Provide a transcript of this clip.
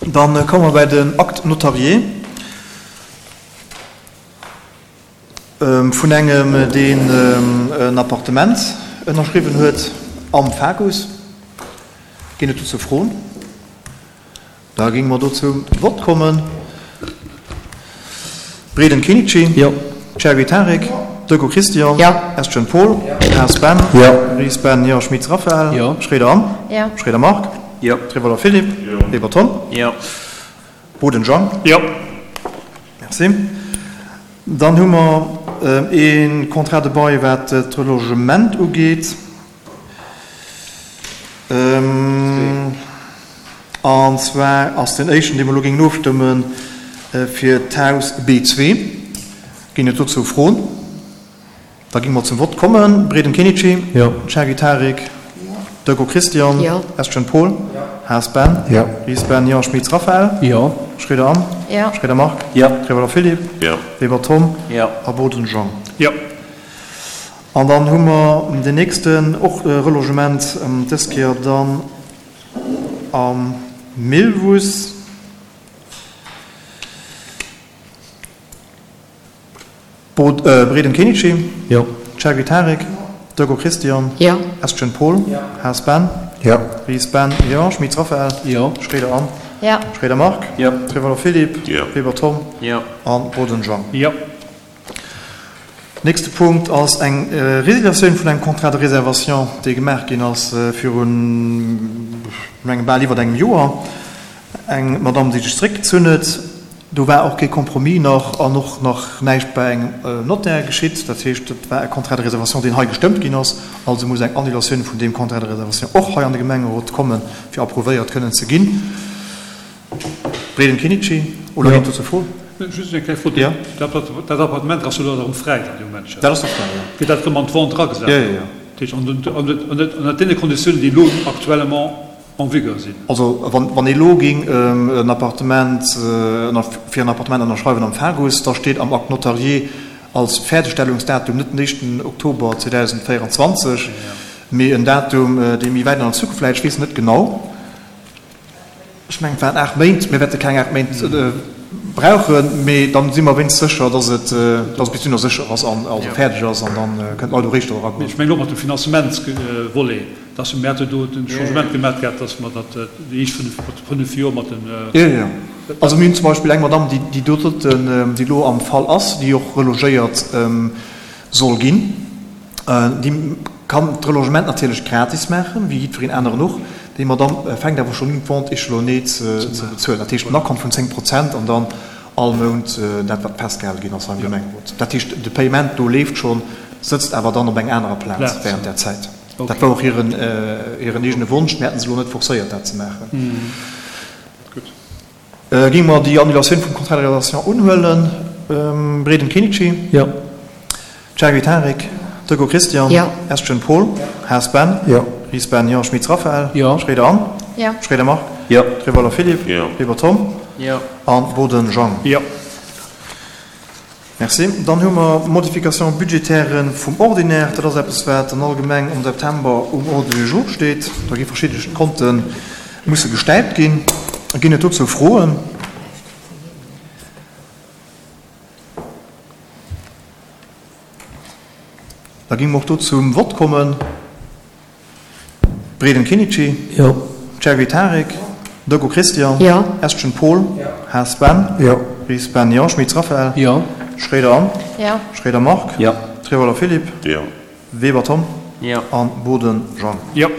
Dann komme mer bei den Acte notarié vun engem, deen en Appartement ënnerschriwwen huet am FAGUS. Ginn et dozou Froen? Da géinge mer do zum Vott kommen. Breden Kenichi. Jo. Cherry Tarek. Decaux Christian. Jo. Estgen Paul. Haas Ben. Jo. Ries Ben. Jo. Schmitz Raphaël. Jo. Schroeder Anne. Jo. Schroeder Marc. Jo. Trevoller Philippe. Jo. Weber Tom. Jo. Boden Jean. Jo. Merci. Dann hu mer ee Contrat de bail, wat d'Relogement ugeet. An zwar ass deen éischten, dee mer elo géingen ofstëmmen, fir d'Haus B2. Ginn et dozou Froen? Da géinge mer zum Vott kommen. Breden Kenichi. Jo. Cherry Tarek. Decaux Christian. Jo. Estgen Paul. Haas Ben. Jo. Ries Ben. Jo. Schmitz Raphaël. Jo. Schroeder Anne. Jo. Schroeder Marc. Jo. Trevoller Philippe. Jo. Weber Tom. Jo. A Boden Jean. Jo. An dann hu mer deen nächsten, och e Relogement, dës Kéier dann am Millwuss. Breden Kenichi. Jo. Chergui Tarek. Decaux Christian. Jo. Estgen Paul. Haas Ben. Jo. Ries Ben. Jo. Schmitz Raphaël. Jo. Schroeder Anne. Jo. Schroeder Marc. Jo. Trevoller Philippe. Jo. Weber Tom. Jo. A Boden Jean. Jo. Nächste Punkt ass eng Résiliatioun vun engem Contrat de réservation, dee gemaach ginn ass virun, ech mengen, bal iwwer engem Joer. Eng Madamm, déi sech zeréckgezunn huet. Do war och kee Compromis nach an och nach näischt bei engem Notaire geschitt. Dat heescht, et war e Contrat de réservation, deen hei gestëmmt ginn ass. Also muss eng Annulatioun vun deem Contrat de réservation och hei an de Gemengerot kommen, fir approuvéiert kënnen ze ginn. Breden Kenichi, Oder ginn et dozou Froen? Just eng kleng Fro, Jo. Dat Appartement ass jo elo erëm fräi dann de Moment schon? Dat ass nach fräi, jo. Gëtt dat erëm an d'Vente eragesat? Jo, jo, jo. Dat heescht ënnert deene Konditiounen, déi elo actuellement en vigueur sinn? Also wann ee elo géing en Appartement, fir en Appartement ënnerschreiwen am Fagus, da steet am Acte notarié als Fäerdegstellungsdatum net den éischten Oktober 2024, mee en Datum, dee méi wäit an der Zukunft läit. Ech weess net genau. Ech mengen, et waren 8 Méint. Mir wäerte keng 8 Méint brauchen, mee dann si mer wéinst sécher, dass et dass et bis dunner sécher ass an also fäerdeg ass an dann kënnen d'Leit och éischter eragoen. Ech mengen och mat dem Finanzementsvolet, dass mir hate do den Changement gemaach gehat, dass mer dat déi éischt 5 Joer mat den. Jo, jo, jo. Also mir hunn zum Beispill eng Madamm, déi déi doten, déi elo am Fall ass, déi och relogéiert soll ginn. Déi kann d'Relogement natierlech gratis maachen, wéi jiddwereen aneren och. Déi Madamm fänkt awer schonn un, d'Vente échelonnée ze bezuelen. Dat heescht en Akkont vun 10 Prozent an dann all Mount dat, wat festgehale ginn ass beim Gemengerot. Dat heescht, de Payement do leeft schonn, sëtzt awer dann op eng anerer Plaz während där Zäit. Dat war och hiren eegene Wonsch. Mir hätten se elo net forcéiert, dat ze maachen. Géinge mer déi Annulatioun vum Contrat de réalisation unhuelen? Breden Kenichi? Jo. Chergui Tarek? Decaux Christian? Jo. Estgen Paul? Haas Ben? Jo. Ries Ben? Jo. Schmitz Raphaël? Jo. Schroeder Anne? Jo. Schroeder Marc? Jo. Trevoller Philippe? Jo. Weber Tom? Jo. A Boden Jean? Jo. Merci. Dann hu mer d'Modification budgétaire vum Ordinaire. Dat ass eppes, wat an allgemeng am September um Ordre du jour steet. Da gi verschidde Konte musse gestäipt ginn. Ginn et dozou Froen? Da géinge mer och do zum Vott kommen. Breden Kenichi. Jo. Chergui Tarek. Decaux Christian. Jo. Estgen Paul. Haas Ben. Jo. Ries Ben. Jo. Schmitz Raphaël. Jo. Schroeder Anne. Jo. Schroeder Marc. Jo. Trevoller Philippe. Jo. Weber Tom. Jo. An Boden Jean. Jo.